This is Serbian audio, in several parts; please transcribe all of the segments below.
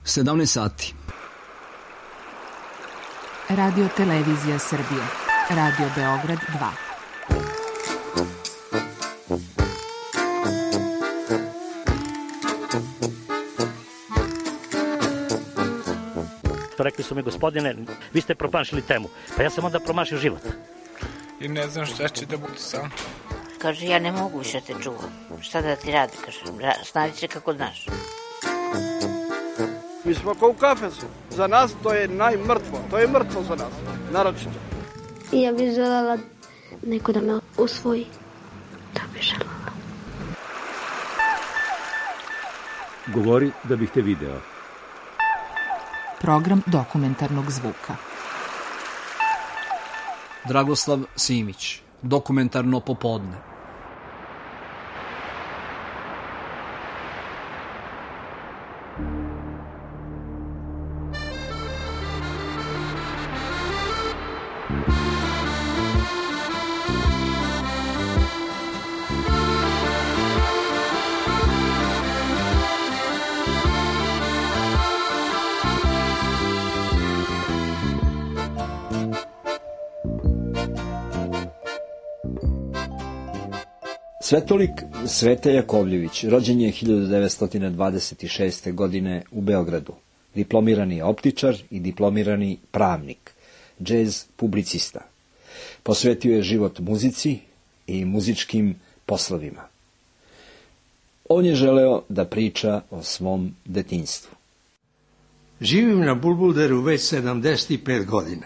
17 sati. Radio Televizija Srbije. Radio Beograd 2. Rekli su mi, gospodine, vi ste promašili temu. Pa ja sam onda promašio život. I ne znam šta će da bude sam. Kaže, ja ne mogu više te čuvam. Šta da ti radi, kaže, snađi se kako znaš. Mi smo kao u kafesu. Za nas to je najmrtvo. To je mrtvo za nas, naročito. Ja bih želela neko da me usvoji. To bih želela. Govori da bih te video. Program dokumentarnog zvuka. Dragoslav Simić, dokumentarno popodne. Svetolik Sveta Jakovljević rođen je 1926. godine u Beogradu. Diplomirani optičar i diplomirani pravnik, džez publicista. Posvetio je život muzici i muzičkim poslovima. On je želeo da priča o svom detinjstvu. Živim na Bulbulderu već 75 godina.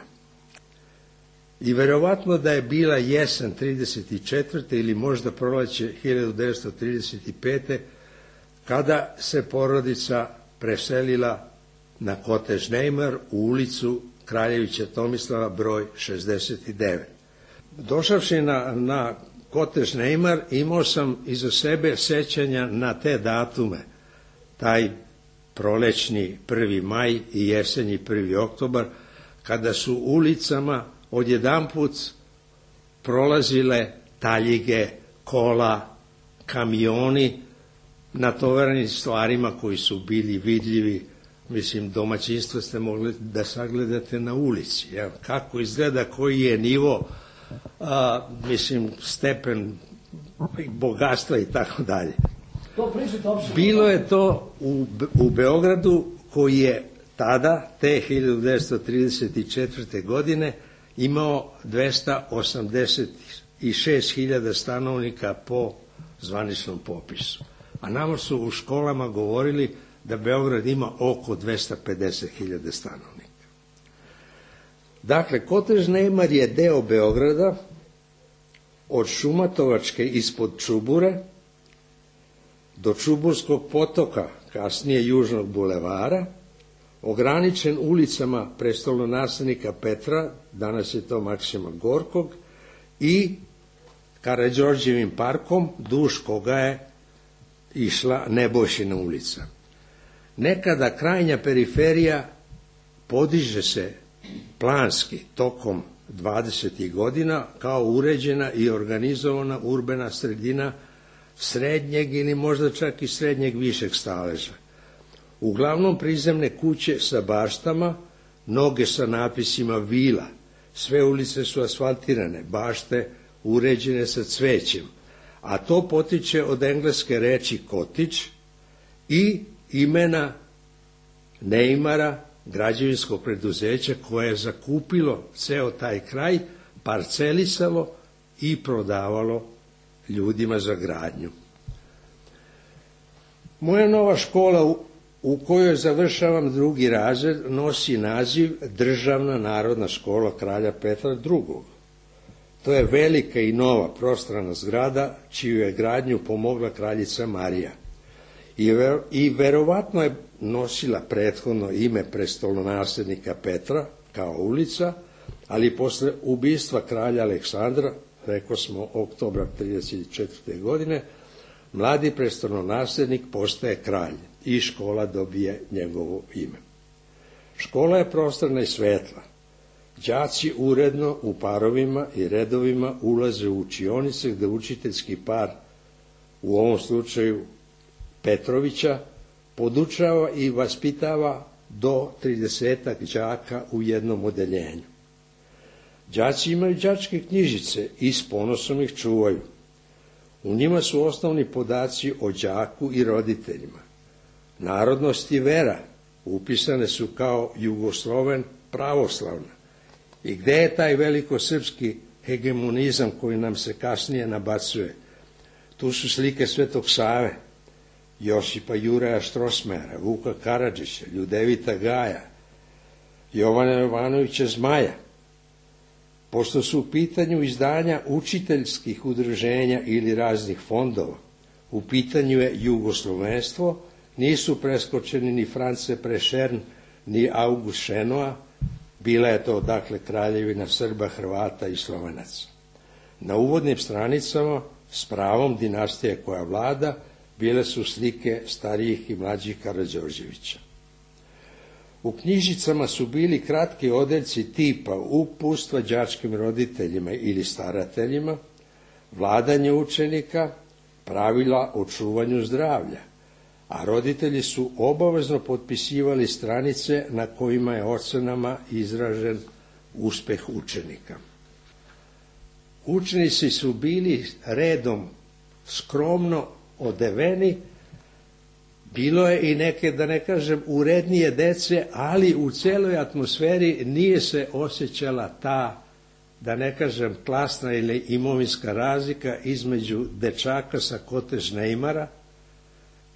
I verovatno da je bila jesen 34. ili možda proleće 1935. kada se porodica preselila na Kotež Neymar u ulicu Kraljevića Tomislava broj 69. Došavši na Kotež Neymar imao sam iza sebe sećanja na te datume, taj prolećni 1. maj i jesenji 1. oktobar, kada su ulicama odjedanput prolazile taljige, kola, kamioni, natovarani stvarima koji su bili vidljivi. Mislim, domaćinstvo ste mogli da sagledate na ulici. Kako izgleda, koji je nivo, stepen bogatstva i tako dalje. Bilo je to u Beogradu, koji je tada, te 1934. godine, imao 286.000 stanovnika po zvaničnom popisu. A nama su u školama govorili da Beograd ima oko 250.000 stanovnika. Dakle, Kotež Neymar je deo Beograda od Šumatovačke ispod Čubure do Čuburskog potoka, kasnije Južnog bulevara, ograničen ulicama prestolonaslednika Petra, danas je to Maksima Gorkog, i Karađorđevim parkom, duž koga je išla Nebojšina ulica. Nekada krajnja periferija podiže se planski tokom 20. godina kao uređena i organizovana urbana sredina srednjeg ili možda čak i srednjeg višeg staleža. Uglavnom prizemne kuće sa baštama, mnoge sa napisima vila, sve ulice su asfaltirane, bašte uređene sa cvećem, a to potiče od engleske reči kotić i imena Neymara, građevinskog preduzeća koje je zakupilo ceo taj kraj, parcelisalo i prodavalo ljudima za gradnju. Moja nova škola u kojoj završavam 2. razred nosi naziv Državna narodna škola kralja Petra II. To je velika i nova prostrana zgrada čiju je gradnju pomogla kraljica Marija. I verovatno je nosila prethodno ime prestolonaslednika Petra kao ulica, ali posle ubistva kralja Aleksandra, rekao smo oktobra 1934. godine, mladi prestolonaslednik postaje kralj i škola dobije njegovo ime. Škola je prostorna i svetla. Đaci uredno u parovima i redovima ulaze u učionice gde učiteljski par, u ovom slučaju Petrovića, podučava i vaspitava do 30 đaka u jednom odeljenju. Đaci imaju đačke knjižice i s ponosom ih čuvaju. U njima su osnovni podaci o đaku i roditeljima. Narodnost i vera upisane su kao Jugosloven pravoslavna. I gde je taj velikosrpski hegemonizam koji nam se kasnije nabacuje? Tu su slike Svetog Save, Josipa Juraja Štrosmajera, Vuka Karadžića, Ljudevita Gaja, Jovana Jovanovića Zmaja. Pošto su u pitanju izdanja učiteljskih udruženja ili raznih fondova, u pitanju je jugoslovenstvo, nisu preskočeni ni France Prešern, ni August Šenoa, bila je to dakle kraljevina Srba, Hrvata i Slovenaca. Na uvodnim stranicama s pravom dinastije koja vlada bile su slike starijih i mlađih Karađorđevića. U knjižicama su bili kratki odeljci tipa uputstva đačkim roditeljima ili starateljima, vladanje učenika, pravila o čuvanju zdravlja, a roditelji su obavezno potpisivali stranice na kojima je ocenama izražen uspeh učenika. Učenici su bili redom skromno odeveni, bilo je i neke, da ne kažem, urednije dece, ali u celoj atmosferi nije se osjećala ta, da ne kažem, klasna ili imovinska razlika između dečaka sa Kotež Neimara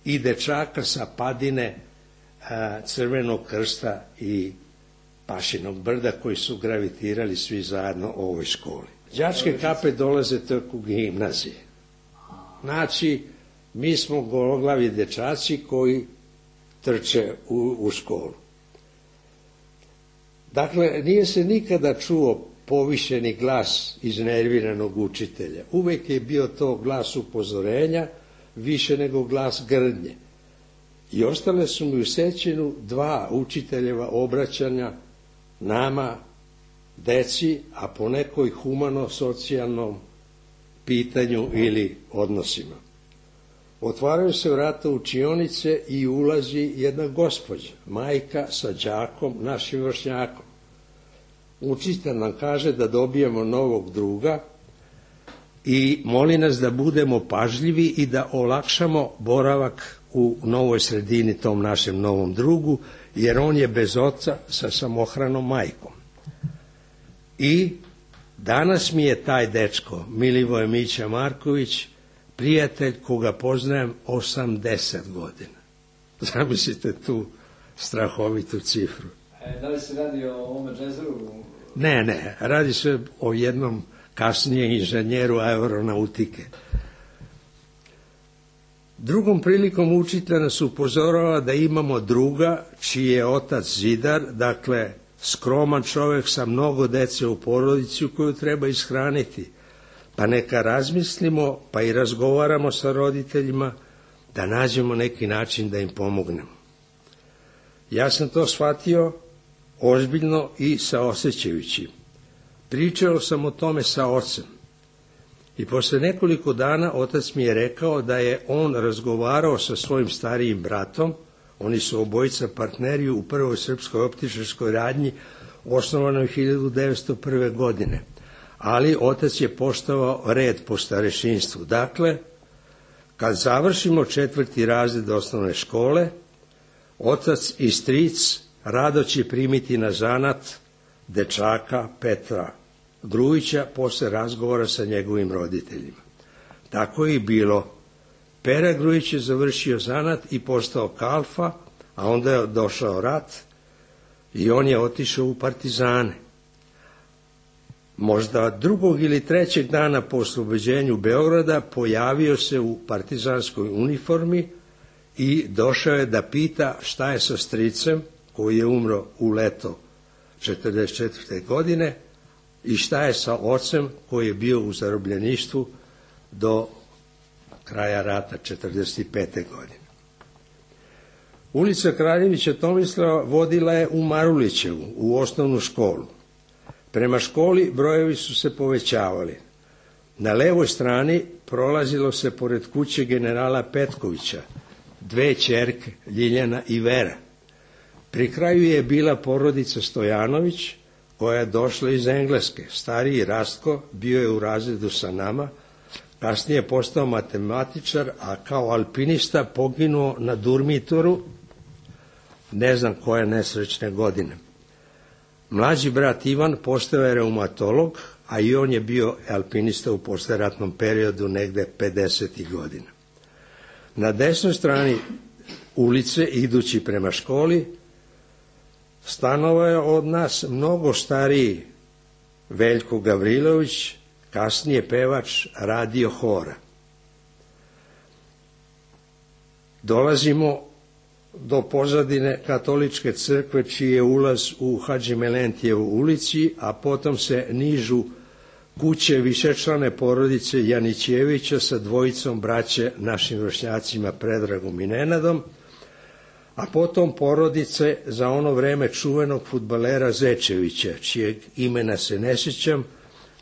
i dečaka sa Padine, Crvenog krsta i Pašinog brda, koji su gravitirali svi zajedno u ovoj školi. Đačke kape dolaze tek u gimnazije. Znači, mi smo gologlavi dečaci koji trče u školu. Dakle, nije se nikada čuo povišeni glas iznerviranog učitelja. Uvek je bio to glas upozorenja, više nego glas grdnje. I ostale su mi u sećanju 2 učiteljeva obraćanja nama, deci, a po nekoj humano-socijalnom pitanju ili odnosima. Otvaraju se vrata učionice i ulazi jedna gospođa, majka sa đakom, našim vršnjakom. Učitelj nam kaže da dobijemo novog druga i moli nas da budemo pažljivi i da olakšamo boravak u novoj sredini tom našem novom drugu, jer on je bez oca sa samohranom majkom. I danas mi je taj dečko, Milivoje Mića Marković, prijatelj koga poznajem 80 godina. Zamislite tu strahovitu cifru. Da li se radi o ovome džezeru? Ne, radi se o jednom kasnije inženjeru aeronautike. Drugom prilikom učitelj nas upozorava da imamo druga čiji je otac zidar, dakle skroman čovjek sa mnogo dece u porodici koju treba ishraniti. Pa neka razmislimo, pa i razgovaramo sa roditeljima da nađemo neki način da im pomognemo. Ja sam to shvatio ozbiljno i saosećajući. Pričao sam o tome sa ocem. I posle nekoliko dana otac mi je rekao da je on razgovarao sa svojim starijim bratom, oni su obojica partneri u prvoj srpskoj optičarskoj radnji, osnovanoj 1901. godine. Ali otac je poštovao red po starešinstvu. Dakle, kad završimo 4. razred osnovne škole, otac i stric rado će primiti na zanat dečaka Petra Grujića posle razgovora sa njegovim roditeljima. Tako je i bilo. Pera Grujić je završio zanat i postao kalfa, a onda je došao rat i on je otišao u partizane. Možda 2. ili 3. dana po oslobođenju Beograda pojavio se u partizanskoj uniformi i došao je da pita šta je sa stricem koji je umro u leto 1944. godine i šta je sa ocem koji je bio u zarobljeništvu do kraja rata 1945. godine. Ulica Kraljevića Tomislava vodila je u Marulićevu, u osnovnu školu. Prema školi brojevi su se povećavali. Na levoj strani prolazilo se pored kuće generala Petkovića, 2 ćerke, Ljiljana i Vera. Pri kraju je bila porodica Stojanović, koja je došla iz Engleske. Stariji Rastko bio je u razredu sa nama, kasnije je postao matematičar, a kao alpinista poginuo na Durmitoru, ne znam koje nesrećne godine. Mlađi brat Ivan postao je reumatolog, a i on je bio alpinista u posleratnom periodu negde 50. godina. Na desnoj strani ulice, idući prema školi, stanovao je od nas mnogo stariji Veljko Gavrilović, kasnije pevač radio hora. Dolazimo do pozadine katoličke crkve, čiji je ulaz u Hadžimelentijevu ulici, a potom se nižu kuće višečlane porodice Janićevića sa dvojicom braće našim vršnjacima Predragom i Nenadom, a potom porodice za ono vreme čuvenog fudbalera Zečevića, čijeg imena se ne sjećam,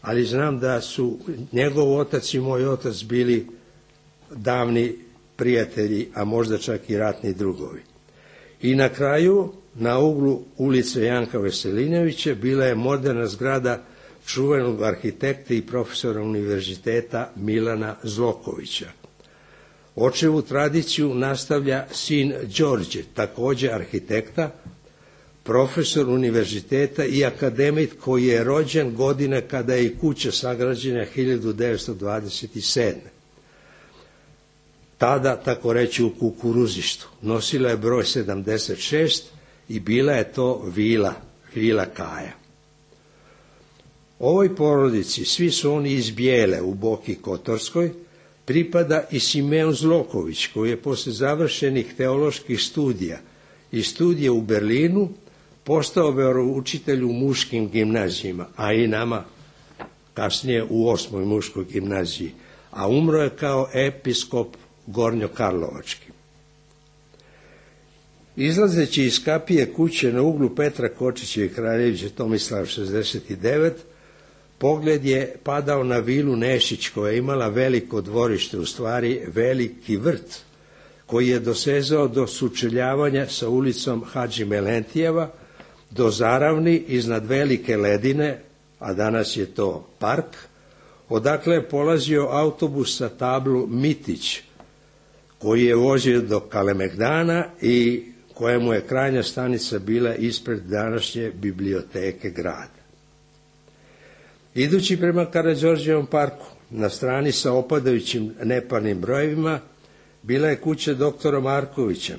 ali znam da su njegov otac i moj otac bili davni prijatelji, a možda čak i ratni drugovi. I na kraju, na uglu ulice Janka Veselinovića, bila je moderna zgrada čuvenog arhitekta i profesora univerziteta Milana Zlokovića. Očevu tradiciju nastavlja sin Đorđe, takođe arhitekta, profesor univerziteta i akademik koji je rođen godine kada je i kuća sagrađena 1927. Tada, tako reći, u kukuruzištu. Nosila je broj 76 i bila je to vila Kaja. Ovoj porodici, svi su oni iz Bijele u Boki Kotorskoj, pripada i Simeon Zloković, koji je posle završenih teoloških studija i studija u Berlinu postao veroučitelj u muškim gimnazijima, a i nama kasnije u 8. muškoj gimnaziji, a umro je kao episkop Gornjokarlovački. Izlazeći iz kapije kuće na uglu Petra Kočića i Kraljevića Tomislava 69, pogled je padao na vilu Nešić, koja je imala veliko dvorište, u stvari veliki vrt, koji je dosezao do sučeljavanja sa ulicom Hadžimelentijeva, do Zaravni iznad Velike Ledine, a danas je to park, odakle je polazio autobus sa tablu Mitić, koji je vozio do Kalemegdana i kojemu je krajnja stanica bila ispred današnje biblioteke grada. Idući prema Karađorđevom parku, na strani sa opadajućim neparnim brojevima, bila je kuća doktora Markovića,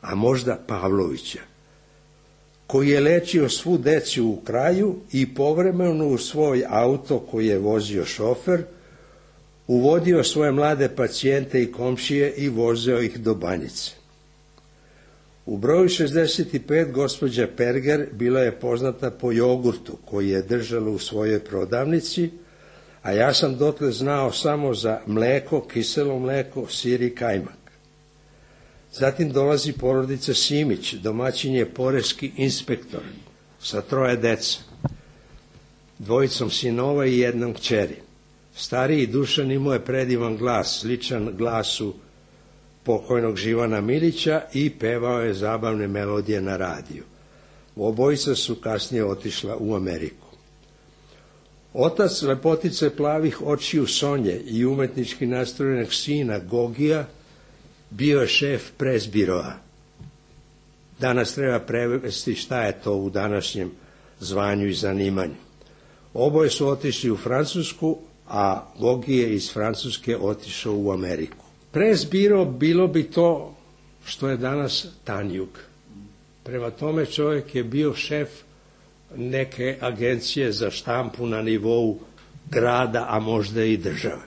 a možda Pavlovića, koji je lečio svu decu u kraju i povremeno u svoj auto koji je vozio šofer, uvodio svoje mlade pacijente i komšije i vozio ih do Banjice. U broju 65 gospođa Perger bila je poznata po jogurtu koji je držala u svojoj prodavnici, a ja sam dotle znao samo za mleko, kiselo mleko, sir i kajmak. Zatim dolazi porodica Simić, domaćin je poreski inspektor sa 3 dece, 2 sinova i 1 kćeri. Stariji Dušan imao je predivan glas, sličan glasu pokojnog Živana Milića i pevao je zabavne melodije na radiju. Obojica su kasnije otišla u Ameriku. Otac lepotice plavih očiju Sonje i umetnički nastrojenog sina Gogija bio je šef presbiroa. Danas treba prevesti šta je to u današnjem zvanju i zanimanju. Oboje su otišli u Francusku, a Gogi je iz Francuske otišao u Ameriku. Presbiro bilo bi to što je danas Tanjug. Prema tome čovjek je bio šef neke agencije za štampu na nivou grada, a možda i države.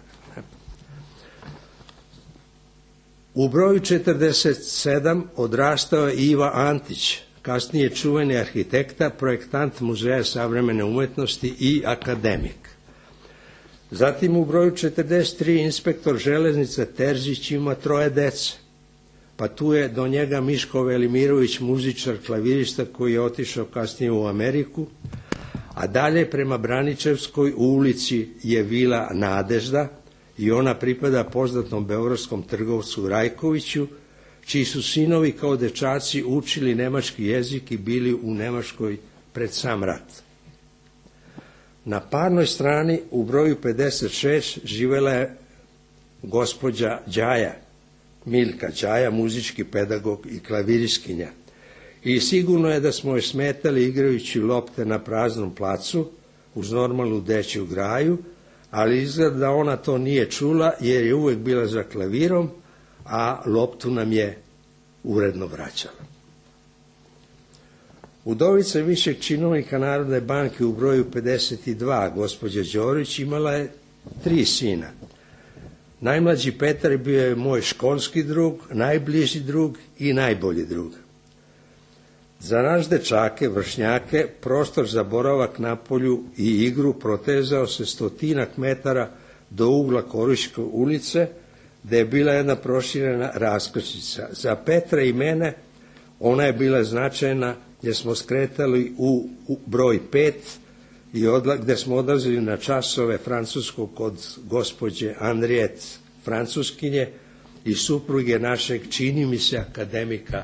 U broju 47 odrastao je Iva Antić, kasnije čuveni arhitekta, projektant Muzeja savremene umetnosti i akademik. Zatim u broju 43 inspektor železnice Terzić ima 3 dece, pa tu je do njega Miško Velimirović, muzičar, klavirista koji je otišao kasnije u Ameriku, a dalje prema Braničevskoj ulici je vila Nadežda i ona pripada poznatom beogradskom trgovcu Rajkoviću, čiji su sinovi kao dečaci učili nemački jezik i bili u Nemačkoj pred sam rat. Na parnoj strani u broju 56 živela je gospođa Đaja, Milka Đaja, muzički pedagog i klaviriskinja. I sigurno je da smo joj smetali igrajući lopte na praznom placu uz normalnu dečju graju, ali izgleda da ona to nije čula jer je uvek bila za klavirom, a loptu nam je uredno vraćala. Udovica višeg činovnika Narodne banke u broju 52, gospođa Đorić, imala je 3 sina. Najmlađi Petar bio je moj školski drug, najbliži drug i najbolji drug. Za naš dečake, vršnjake, prostor za boravak na polju i igru protezao se 100 metara do ugla Koriške ulice, gde je bila jedna proširena raskrsnica. Za Petra i mene ona je bila značajna jer smo skretali u broj 5 gde smo odlazili na časove francuskog kod gospođe Andrijet, francuskinje i supruge našeg, čini mi se, akademika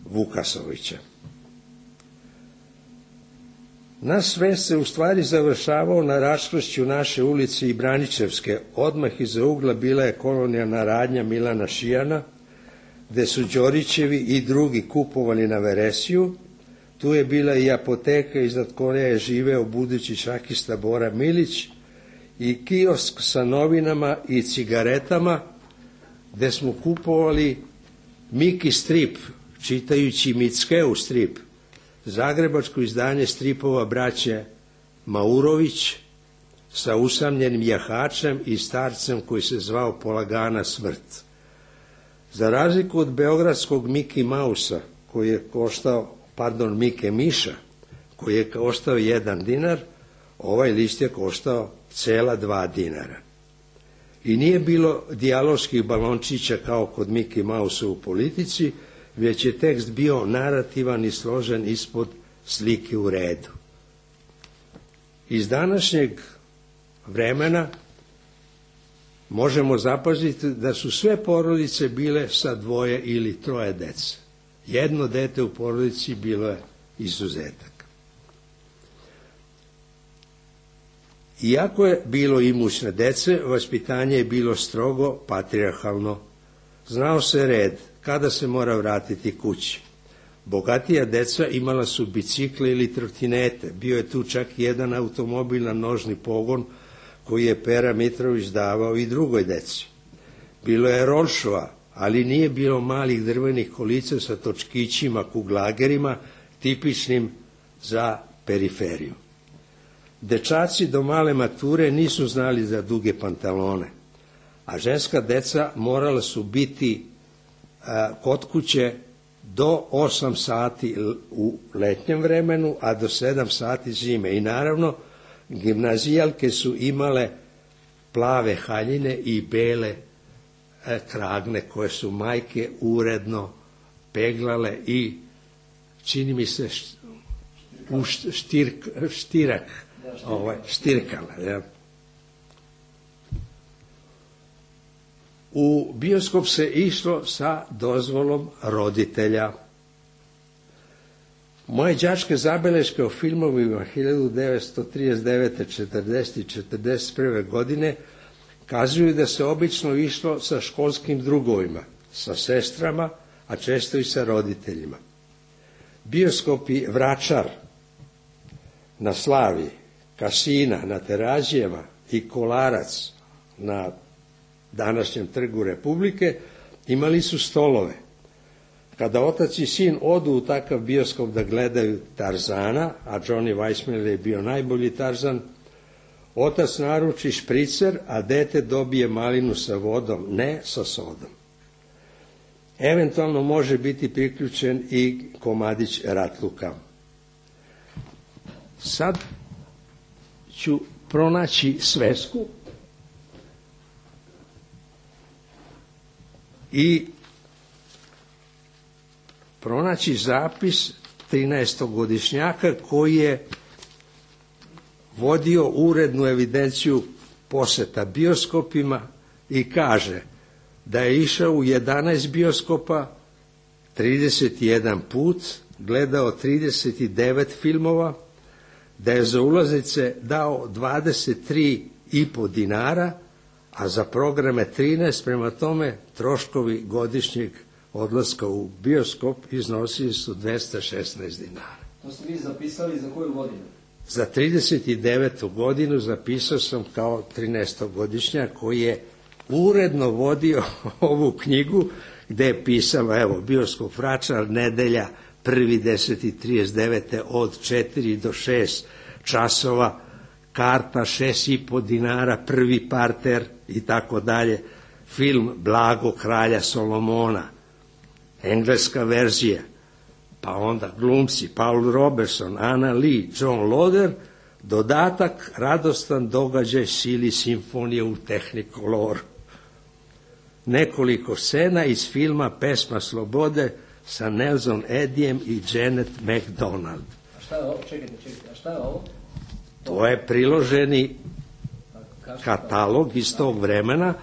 Vukasovića. Naš sve se u stvari završavao na raskršću naše ulice i Braničevske. Odmah iza ugla bila je kolonijalna radnja Milana Šijana, gde su Đorićevi i drugi kupovali na veresiju. Tu je bila i apoteka iznad koje je živeo budući šahista Bora Milić i kiosk sa novinama i cigaretama, gde smo kupovali Miki strip, čitajući Mickeu strip, zagrebačko izdanje stripova braće Maurović sa usamljenim jahačem i starcem koji se zvao Polagana smrt. Za razliku od beogradskog Miki Mausa, koji je koštao, Mike Miša, koji je koštao 1 dinar, ovaj list je koštao cela 2 dinara. I nije bilo dijaloških balončića kao kod Miki Mausa u Politici, već je tekst bio narativan i složen ispod slike u redu. Iz današnjeg vremena možemo zapaziti da su sve porodice bile sa 2 ili 3 dece. Jedno dete u porodici bilo je izuzetak. Iako je bilo imućne dece, vaspitanje je bilo strogo patrijarhalno. Znao se red kada se mora vratiti kući. Bogatija deca imala su bicikle ili trotinete. Bio je tu čak i jedan automobil na nožni pogon koji je Pera Mitrović davao i drugoj deci. Bilo je rolšova, ali nije bilo malih drvenih kolica sa točkićima, kuglagerima, tipičnim za periferiju. Dečaci do male mature nisu znali za duge pantalone, a ženska deca morala su biti kod kuće do 8 sati u letnjem vremenu, a do 7 sati zime. I naravno, gimnazijalke su imale plave haljine i bele kragne koje su majke uredno peglale i, čini mi se, u štirkale. Ja. U bioskop se išlo sa dozvolom roditelja. Moje đačke zabeleške o filmovima 1939. 40. i 41. godine kazuju da se obično išlo sa školskim drugovima, sa sestrama, a često i sa roditeljima. Bioskopi Vračar na Slavi, Kasina na Terazijeva i Kolarac na današnjem Trgu Republike imali su stolove. Kada otac i sin odu u takav bioskop da gledaju Tarzana, a Johnny Weissmuller je bio najbolji Tarzan, otac naruči špricer, a dete dobije malinu sa vodom, ne sa sodom. Eventualno može biti priključen i komadić ratluka. Sad ću pronaći svesku i pronaći zapis 13-godišnjaka koji je vodio urednu evidenciju poseta bioskopima i kaže: da je išao u 11 bioskopa, 31 put, gledao 39 filmova, da je za ulaznice dao 23,5 dinara, a za programe 13, prema tome troškovi godišnjeg odlaska u bioskop iznosili su 216 dinara. To ste vi zapisali za koju godinu? Za 39. godinu zapisao sam kao 13-godišnjak koji je uredno vodio ovu knjigu gde je pisalo, evo, bioskop Vračar, nedelja, 1.10.39. od 4 do 6 časova, karta 6,5 dinara, prvi parter i tako dalje, film Blago kralja Solomona, engleska verzija, pa onda glumci Paul Robertson, Anna Lee, John Loder, dodatak radostan događaj Sili simfonije u Technikoloru. Nekoliko scena iz filma Pesma slobode sa Nelson Edijem i Janet McDonald. A šta je ovo? Čekajte, a šta je ovo? To je priloženi katalog iz tog vremena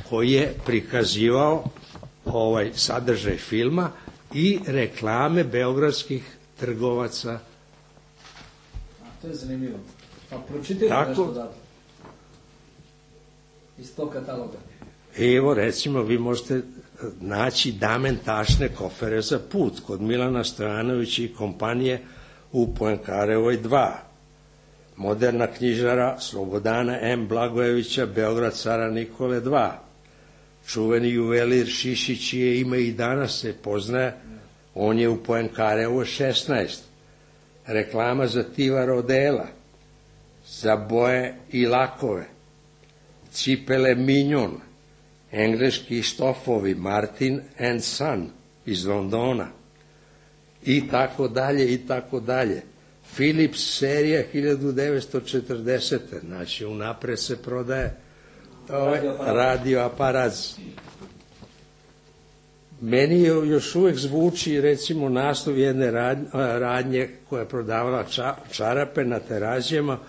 koji je prikazivao ovaj sadržaj filma i reklame beogradskih trgovaca. A, to je zanimljivo. Pa pročitajte nešto odatle. Iz tog kataloga. Evo, recimo, vi možete naći Damen tašne kofere za put kod Milana Stojanovića i kompanije u Poenkarevoj 2. Moderna knjižara Slobodana M. Blagojevića, Beograd cara Nikole 2. Čuveni juvelir Šišić, čije ime i danas se poznaje, on je u Poenkarevoj 16. Reklama za Tiva Rodela, za boje i lakove, cipele Mignon, engleski štofovi Martin & Son iz Londona i tako dalje i tako dalje. Philips serija 1940. Znači, unapred se prodaje radioaparat. Meni još uvek zvuči, recimo, naslov jedne radnje koja je prodavala čarape na Terazijama,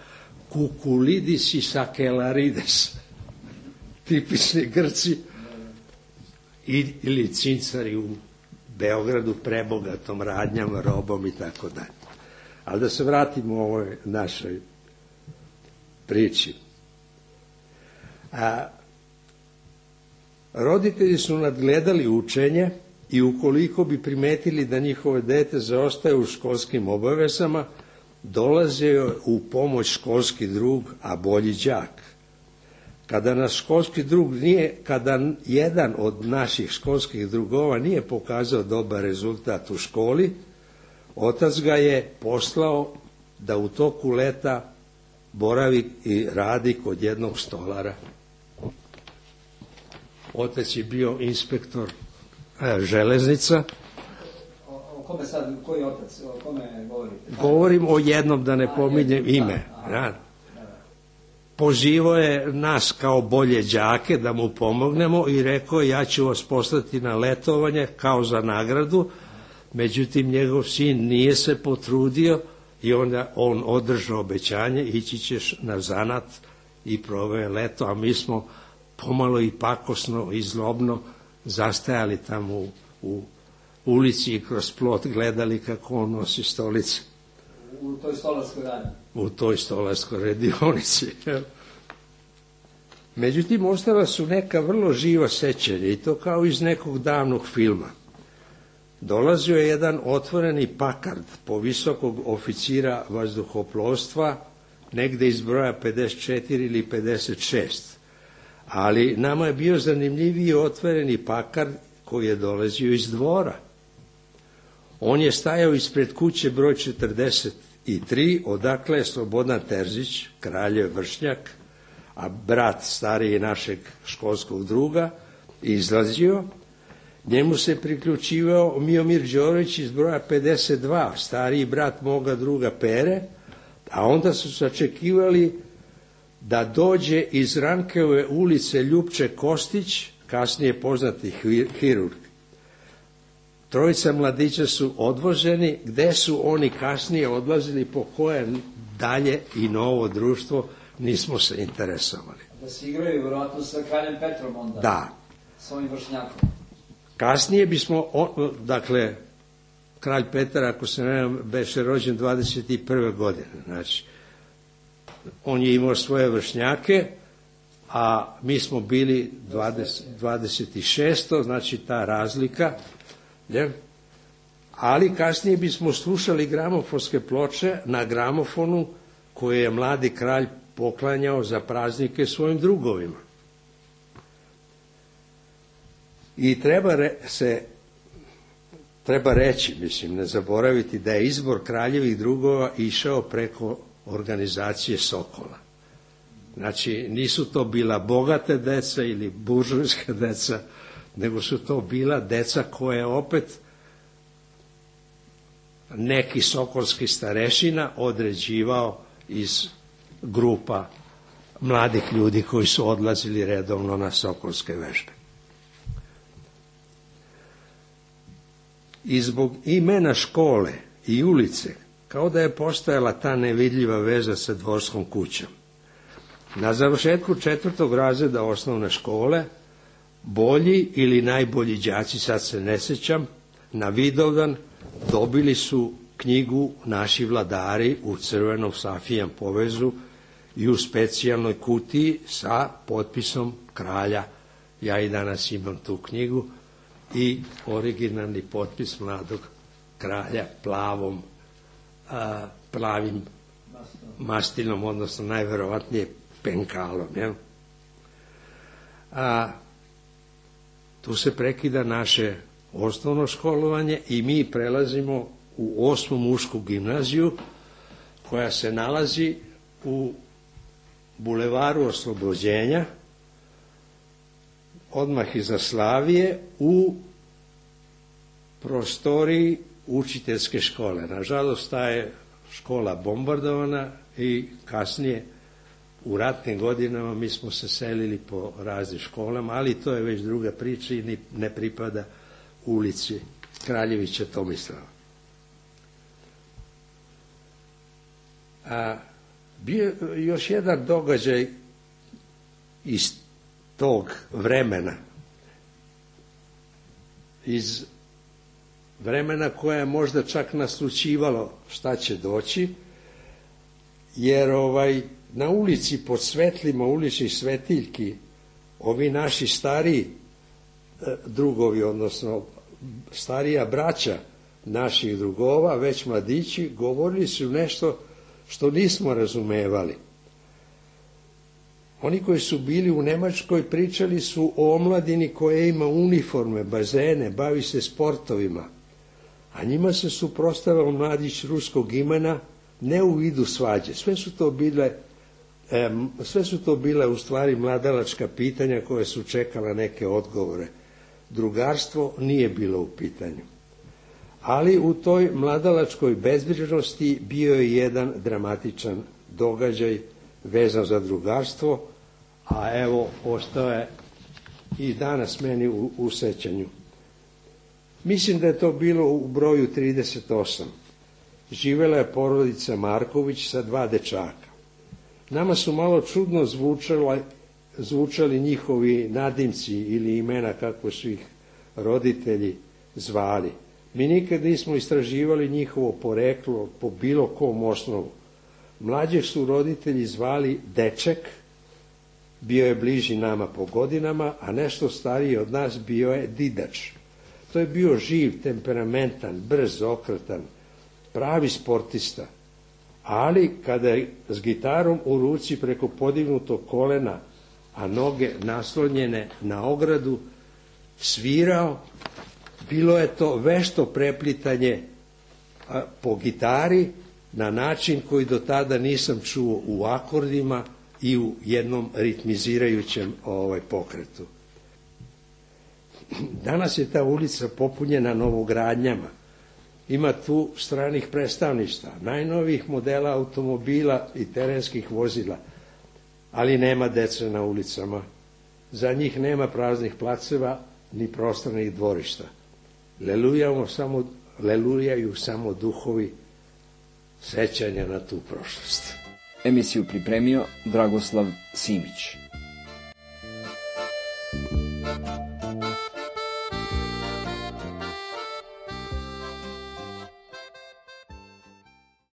Kukulidis i Sakelarides. Tipični Grci ili cincari u Beogradu prebogatom radnjama, robom i tako dalje. Ali da se vratimo u ovoj našoj priči. Roditelji su nadgledali učenje i ukoliko bi primetili da njihove dete zaostaje u školskim obavezama, dolazio u pomoć školski drug, a bolji đak. Kada nas školski drug kada jedan od naših školskih drugova nije pokazao dobar rezultat u školi, otac ga je poslao da u toku leta boravi i radi kod jednog stolara. Otac je bio inspektor železnica. O kome sad, koji otac, o kome govorite? Govorim o jednom, da ne pominjem ime. Pozivao je nas kao bolje đake da mu pomognemo i rekao, ja ću vas poslati na letovanje kao za nagradu. Međutim, njegov sin nije se potrudio i onda on održao obećanje, ići ćeš na zanat i proveo leto, a mi smo pomalo i pakosno i zlobno zastajali tamo u ulici i kroz plot gledali kako on nosi stolice. U toj stolarskoj radnji? U toj stolarskoj radionici. Međutim, ostala su neka vrlo živa sećanja i to kao iz nekog davnog filma. Dolazio je jedan otvoreni Pakard po visokog oficira vazduhoplovstva, negde iz broja 54 ili 56. Ali nama je bio zanimljiviji otvoreni Pakard koji je dolazio iz Dvora. On je stajao ispred kuće broj 43, odakle je Slobodan Terzić, kraljev vršnjak, a brat stariji našeg školskog druga, izlazio. Njemu se priključivao Miomir Đorović iz broja 52, stariji brat moga druga Pere, a onda su sačekivali da dođe iz Rankeove ulice Ljupče Kostić, kasnije poznati hirurg. Trojica mladića su odvoženi, gde su oni kasnije odlazili, po koje dalje i novo društvo, nismo se interesovali. Da se igraju vjerojatno sa kraljem Petrom onda. Da. s ovim vršnjakom. Kasnije bismo, dakle, kralj Petar, ako se ne znam, beše rođen 21. godine. Znači, on je imao svoje vršnjake, a mi smo bili 26. znači ta razlika. Ne? Ali kasnije bismo slušali gramofonske ploče na gramofonu koje je mladi kralj poklanjao za praznike svojim drugovima. I treba reći, mislim, ne zaboraviti da je izbor kraljevih drugova išao preko organizacije Sokola. Znači, nisu to bila bogate deca ili buržujska deca, nego su to bila deca koje opet neki sokolski starešina određivao iz grupa mladih ljudi koji su odlazili redovno na sokolske vežbe. I zbog imena škole i ulice, kao da je postojala ta nevidljiva veza sa dvorskom kućom. Na završetku 4. razreda osnovne škole, bolji ili najbolji đaci, sad se ne sećam, na Vidovdan dobili su knjigu Naši vladari u crvenom safijan povezu i u specijalnoj kutiji sa potpisom kralja. Ja i danas imam tu knjigu i originalni potpis mladog kralja plavim mastinom, odnosno najverovatnije penkalom. Jel? Tu se prekida naše osnovno školovanje i mi prelazimo u 8. mušku gimnaziju koja se nalazi u bulevaru Oslobođenja, odmah iza Slavije, u prostoriji učiteljske škole. Nažalost, ta je škola bombardovana i kasnije u ratnim godinama mi smo se selili po raznim školama, ali to je već druga priča i ne pripada ulici Kraljevića Tomislava. Bio još jedan događaj iz tog vremena, iz vremena koje je možda čak naslućivalo šta će doći, jer na ulici pod svetlima uličnih svetiljki ovi naši stariji drugovi, odnosno starija braća naših drugova, već mladići, govorili su nešto što nismo razumevali. Oni koji su bili u Nemačkoj pričali su o omladini koja ima uniforme, bazene, bavi se sportovima, a njima se suprotstavljao mladić ruskog imena, ne u vidu svađe. Sve su to bile u stvari mladalačka pitanja koje su čekala neke odgovore. Drugarstvo nije bilo u pitanju. Ali u toj mladalačkoj bezbrižnosti bio je jedan dramatičan događaj vezan za drugarstvo, a evo ostao je i danas meni u sećanju. Mislim da je to bilo u broju 38. Živela je porodica Marković sa 2 dečaka. Nama su malo čudno zvučali njihovi nadimci ili imena kako su ih roditelji zvali. Mi nikad nismo istraživali njihovo poreklo po bilo kom osnovu. Mlađeg su roditelji zvali Deček, bio je bliži nama po godinama, a nešto stariji od nas bio je Didač. To je bio živ, temperamentan, brz, okretan, pravi sportista. Ali kada je s gitarom u ruci preko podignutog kolena, a noge naslonjene na ogradu, svirao, bilo je to vešto preplitanje po gitari na način koji do tada nisam čuo u akordima i u jednom ritmizirajućem pokretu. Danas je ta ulica popunjena novogradnjama. Ima tu stranih predstavništva, najnovijih modela automobila i terenskih vozila, ali nema dece na ulicama. Za njih nema praznih placeva ni prostornih dvorišta. Lelujaju samo duhovi sećanja na tu prošlost. Emisiju pripremio Dragoslav Simić.